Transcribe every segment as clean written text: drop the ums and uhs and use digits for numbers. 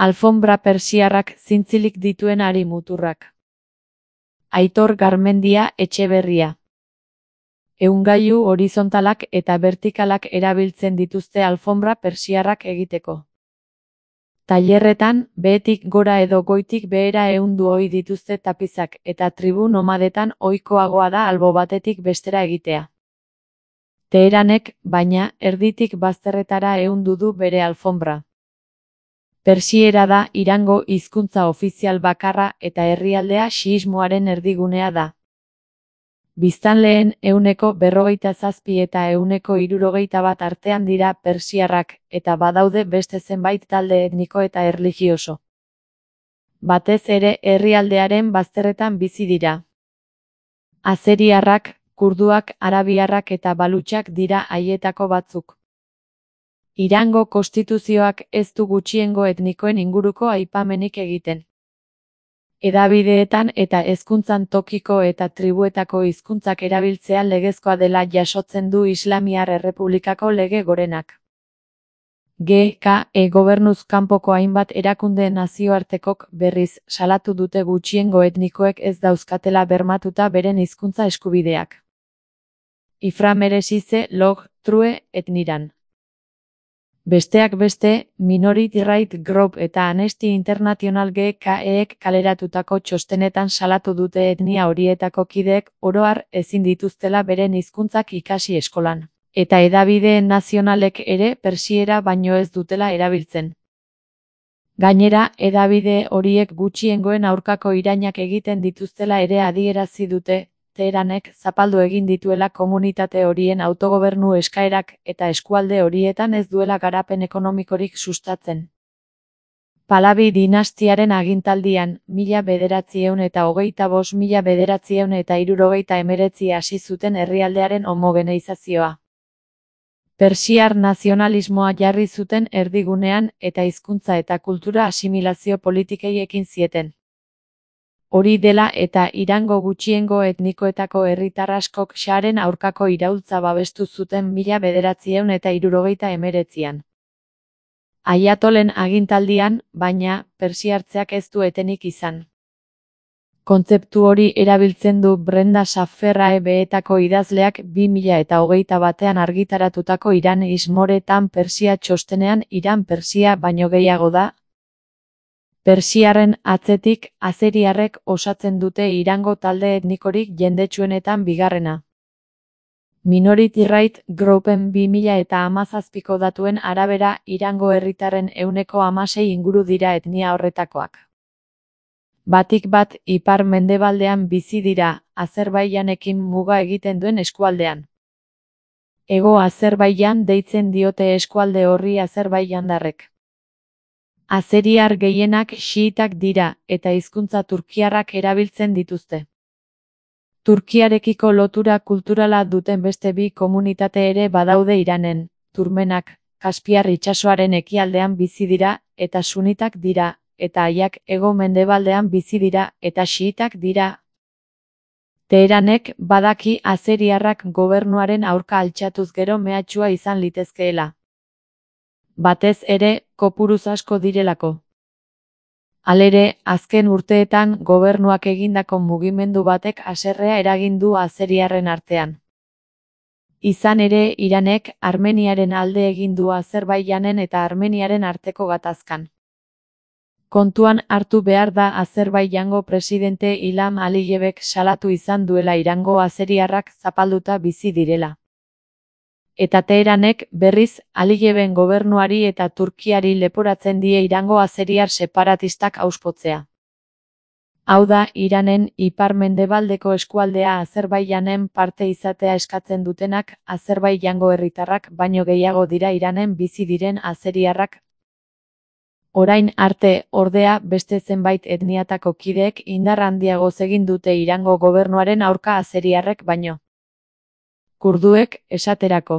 Alfonbra persiarrak zintzilik dituen hari muturrak. Aitor Garmendia Etxeberria. Ehungailu horizontalak eta vertikalak erabiltzen dituzte alfonbra persiarrak egiteko. Tailerretan, behetik gora edo goitik behera ehundu ohi dituzte tapizak eta tribu nomadetan ohikoagoa da albo batetik bestera egitea. Teheranek, baina, erditik bazterretara ehundu du bere alfonbra. Persiera da Irango hizkuntza ofizial bakarra eta herrialdea xiismoaren erdigunea da. Biztanleen 47% eta 61% artean dira persiarrak, eta badaude beste zenbait talde etniko eta erlijioso. Batez ere herrialdearen bazterretan bizi dira. Azeriarrak, kurduak, arabiarrak eta balutxak dira haietako batzuk. Irango konstituzioak ez du gutxiengo etnikoen inguruko aipamenik egiten. Hedabideetan eta hezkuntzan tokiko eta tribuetako hizkuntzak erabiltzea legezkoa dela jasotzen du Islamiar Errepublikako lege gorenak. GKE gobernuz kanpoko hainbat erakunde nazioartekok berriz salatu dute gutxiengo etnikoek ez dauzkatela bermatuta beren hizkuntza eskubideak. Ifra meresize log true etniran. Besteak beste, Minority Rights Group eta Amnesty International GKEek kaleratutako txostenetan salatu dute etnia horietako kideek oro har ezin dituztela beren hizkuntzak ikasi eskolan, eta hedabideen nazionalek ere persiera baino ez dutela erabiltzen. Gainera, hedabide horiek gutxiengoen aurkako irainak egiten dituztela ere adierazi dute, Teheranek zapaldu egin dituela komunitate horien autogobernu eskaerak eta eskualde horietan ez duela garapen ekonomikorik sustatzen. Pahlavi dinastiaren agintaldian, 1925–1979 hasi zuten herrialdearen homogeneizazioa. Persiar nazionalismoa jarri zuten erdigunean eta hizkuntza eta kultura asimilazio politikei ekin zieten. Hori dela eta Irango gutxiengo etnikoetako herritar askok Shaharen aurkako iraultza babestu zuten 1979an. Aiatolen agintaldian, baina, persiartzeak ez du etenik izan. Kontzeptu hori erabiltzen du Brenda Saffer beetako idazleak 2021an argitaratutako Iran is more than Persia txostenean Iran Persia baino gehiago da. Persiarren atzetik, azeriarrek osatzen dute Irango talde etnikorik jendetsuenetan bigarrena. Minority Rights Groupen 2017ko datuen arabera Irango herritarren 16% inguru dira etnia horretakoak. Batik bat ipar-mendebaldean bizi dira, Azerbaijanekin muga egiten duen eskualdean. Hego Azerbaijan deitzen diote eskualde horri Azerbaijandarrek. Azeriar gehienak xiitak dira, eta hizkuntza turkiarrak erabiltzen dituzte. Turkiarekiko lotura kulturala duten beste bi komunitate ere badaude Iranen, turmenak, Kaspiar itsasoaren ekialdean bizi dira, eta sunitak dira, eta haiak hego-mendebaldean bizi dira, eta xiitak dira. Teheranek badaki azeriarrak gobernuaren aurka altxatuz gero mehatxua izan litezkeela. Batez ere, kopuruz asko direlako. Halere, azken urteetan gobernuak egindako mugimendu batek haserrea eragin du azeriarren artean. Izan ere, Iranek Armeniaren alde egin du Azerbaijanen eta Armeniaren arteko gatazkan. Kontuan hartu behar da Azerbaijango presidente Ilham Aliyevek salatu izan duela Irango azeriarrak zapalduta bizi direla. Eta Teheranek, berriz, Aliyeven gobernuari eta Turkiari leporatzen die Irango azeriar separatistak auspotzea. Hau da, Iranen ipar-mendebaldeko eskualdea Azerbaijanen parte izatea eskatzen dutenak, Azerbaijango herritarrak baino gehiago dira Iranen bizi diren azeriarrak. Orain arte, ordea, beste zenbait etniatako kideek indar handiagoz egin dute Irango gobernuaren aurka azeriarrek baino. Kurduek, esaterako.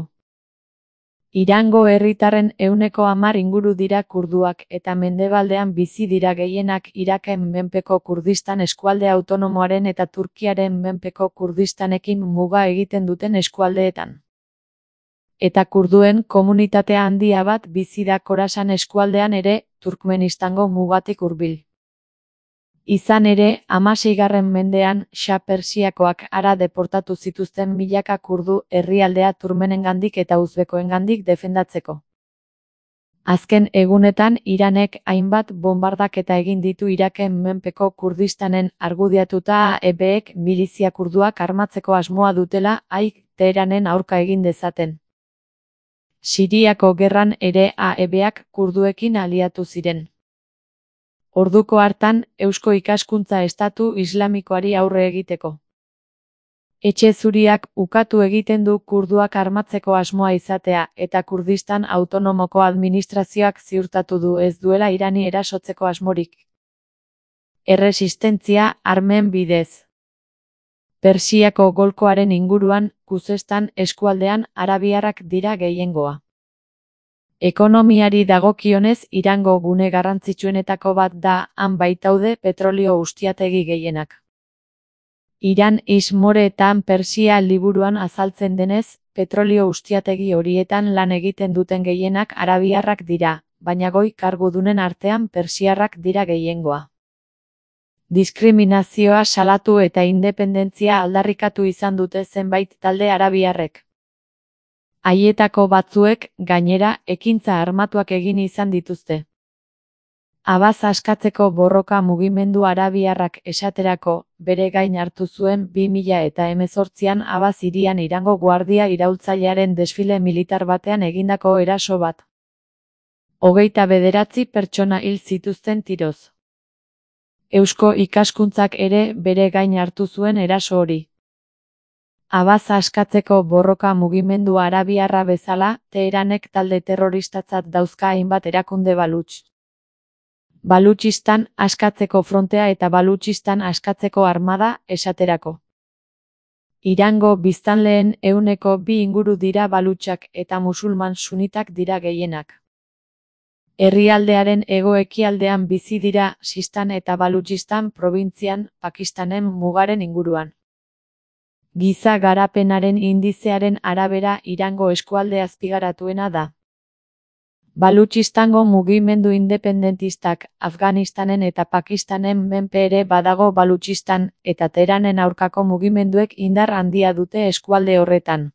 Irango herritarren 10% inguru dira kurduak eta mendebaldean bizi dira gehienak Iraken menpeko Kurdistan eskualde autonomoaren eta Turkiaren menpeko Kurdistanekin muga egiten duten eskualdeetan. Eta kurduen komunitatea handia bat bizi da Khorasan eskualdean ere, Turkmenistango mugatik hurbil. Izan ere, 16. mendean, Shah Persiakoak hara deportatu zituzten milaka kurdu herrialdea turkmenengandik eta uzbekoengandik defendatzeko. Azken egunetan Iranek hainbat bombardaketa egin ditu Iraken menpeko Kurdistanen argudiatuta AEBek milizia kurduak armatzeko asmoa dutela Teheranen aurka egin dezaten. Siriako gerran ere AEBak kurduekin aliatu ziren. Orduko hartan, Eusko Ikaskuntza Estatu Islamikoari aurre egiteko. Etxe Zuriak ukatu egiten du kurduak armatzeko asmoa izatea eta Kurdistan autonomoko administrazioak ziurtatu du ez duela Irani erasotzeko asmorik. Erresistentzia armen bidez. Persiako golkoaren inguruan, Khuzestan eskualdean arabiarrak dira gehiengoa. Ekonomiari dagokionez Irango gune garrantzitsuenetako bat da, han baitaude petrolio ustiategi gehienak. Iran Ismoreetan Persia liburuan azaltzen denez, petrolio ustiategi horietan lan egiten duten gehienak arabiarrak dira, baina goi kargudunen artean persiarrak dira gehiengoa. Diskriminazioa salatu eta independentzia aldarrikatu izan dute zenbait talde arabiarrek. Haietako batzuek, gainera, ekintza armatuak egin izan dituzte. Abaz askatzeko borroka mugimendu arabiarrak esaterako, bere gain hartu zuen 2018an Abaz hirian Irango guardia iraultzailearen desfile militar batean egindako eraso bat. 29 pertsona hil zituzten tiroz. Eusko Ikaskuntzak ere bere gain hartu zuen eraso hori. Abaz askatzeko borroka mugimendu arabiarra bezala, Teheranek talde terroristatzat dauzka hainbat erakunde Baluch. Balutxistan askatzeko frontea eta Balutxistan askatzeko armada, esaterako. Irango biztanleen 2% inguru dira balutxak eta musulman sunitak dira gehienak. Herrialdearen hego-ekialdean bizi dira Sistan eta Balutxistan probintzian, Pakistanen mugaren inguruan. Giza garapenaren indizearen arabera Irango eskualde azpigaratuena da. Balutxistango mugimendu independentistak Afganistanen eta Pakistanen menpe ere badago Balutxistan eta Teheranen aurkako mugimenduek indar handia dute eskualde horretan.